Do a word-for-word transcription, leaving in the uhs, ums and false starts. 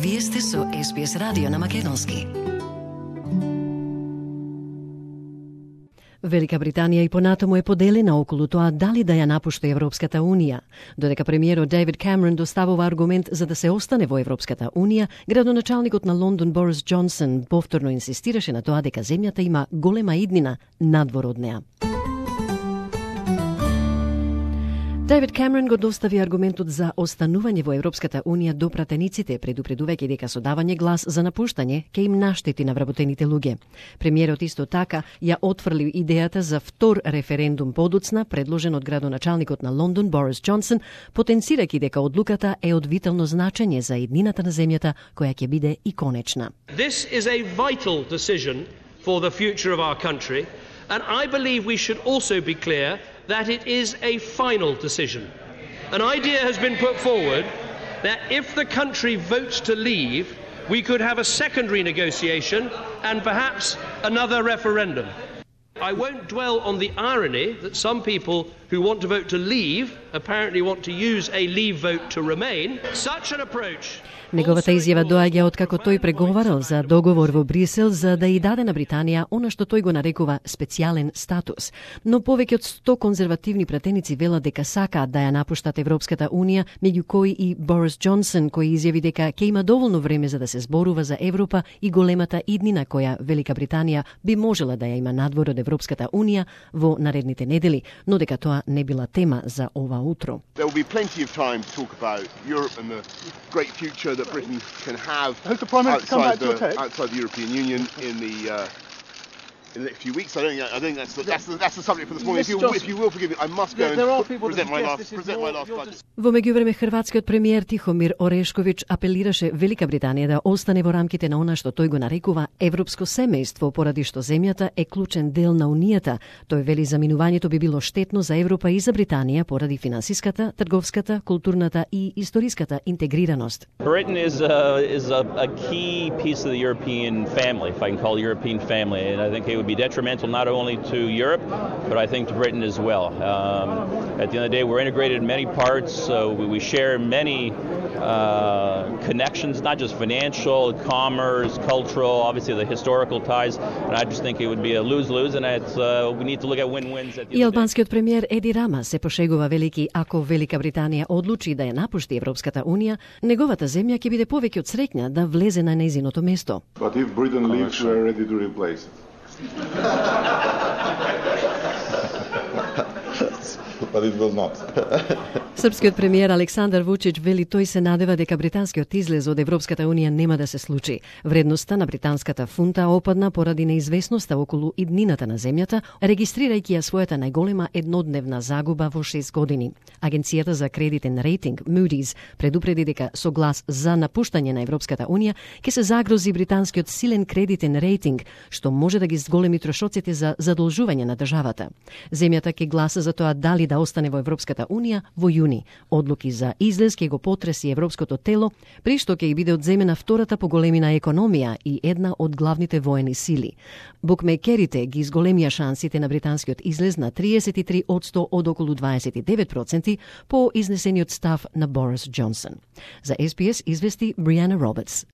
Вие сте со Ес Би Ес радио на македонски. Велика Британија и понатаму е поделена околу тоа дали да ја напушти Европската Унија. Додека премиерот Дейвид Камерон доставува аргумент за да се остане во Европската Унија, градоначалникот на Лондон Борис Џонсон повторно инсистираше на тоа дека земјата има голема иднина надвор од неа. Дейвид Камерон го достави аргументот за останување во Европската Унија до пратениците, предупредувајќи дека со давање глас за напуштање ќе им наштети на вработените луѓе. Премиерот исто така ја отфрли идејата за втор референдум подоцна, предложен од градоначалникот на Лондон Борис Џонсон, потенцирајќи дека одлуката е од витално значење за иднината на земјата, која ќе биде и конечна. This is a vital decision for the future of our country, and I believe we should also be clear that it is a final decision. An idea has been put forward that if the country votes to leave, we could have a secondary negotiation and perhaps another referendum. I won't dwell on the irony that some people who want to vote to leave apparently want to use a leave vote to remain. Such an approach. Неговата изјава доаѓа откако тој преговарал за договор во Брисел за да и даде на Британија она што тој го нарекува специјален статус. Но повеќе од сто конзервативни пратеници велат дека сакаат да ја напуштат Европската Унија, меѓу кои и Борис Џонсон, кој изјави дека ќе има доволно време за да се зборува за Европа и големата иднина која Велика Британија би можела да ја има надвор од Европската Унија во наредните недели, но дека тоа не била тема за ова утро. There will be plenty of time to talk about Europe and the great future that Britain can have outside the, outside the European Union in the uh, in the next few weeks. I don't think, I think that's the, that's the, that's the subject for this morning. If you, if you will forgive me, I must go and present my last, present my last budget. Во меѓувреме хрватскиот премиер Тихомир Орешковиќ апелираше Велика Британија да остане во рамките на она што тој го нарекува европско семејство, поради што земјата е клучен дел на унијата. Тој вели заминувањето би било штетно за Европа и за Британија поради финансиската, трговската, културната и историската интегрираност. Britain is a, is a, a key piece of the European family, if I can call it European family, and I think it would be detrimental not only to Europe, but I think to Britain as well. Um, at the end of the day, we're integrated in many parts, so we, we share many uh, connections, not just financial, commerce, cultural, obviously the historical ties, and I just think it would be a lose-lose, and it's, uh, we need to look at win-wins at the И албанскиот премиер Еди Рама се пошегува велики ако Велика Британија одлучи да ја напушти Европската Унија, неговата земја ќе биде повеќе од среќна да влезе на нејзиното место. But if Britain leaves, we are ready to replace it. But it will not. Српскиот премиер Александар Вучич вели тој се надева дека британскиот излез од Европската Унија нема да се случи. Вредноста на британската фунта опадна поради неизвестноста околу иднината на земјата, регистрирајќи ја својата најголема еднодневна загуба во шест години. Агенцијата за кредитен рейтинг Moody's предупреди дека со глас за напуштање на Европската Унија ќе се загрози британскиот силен кредитен рейтинг, што може да ги зголеми трошоците за задолжување на државата. Земјата ќе гласа за тоа дали да остане во Европската Унија во јуни. Одлуки за излез ќе го потреси европското тело, при што ќе биде одземена втората по големина економија и една од главните воени сили. Букмекерите ги изголемија шансите на британскиот излез на триесет и три одсто од околу дваесет и девет проценти по изнесениот став на Борис Џонсон. За Ес Би Ес извести Бријана Робертс.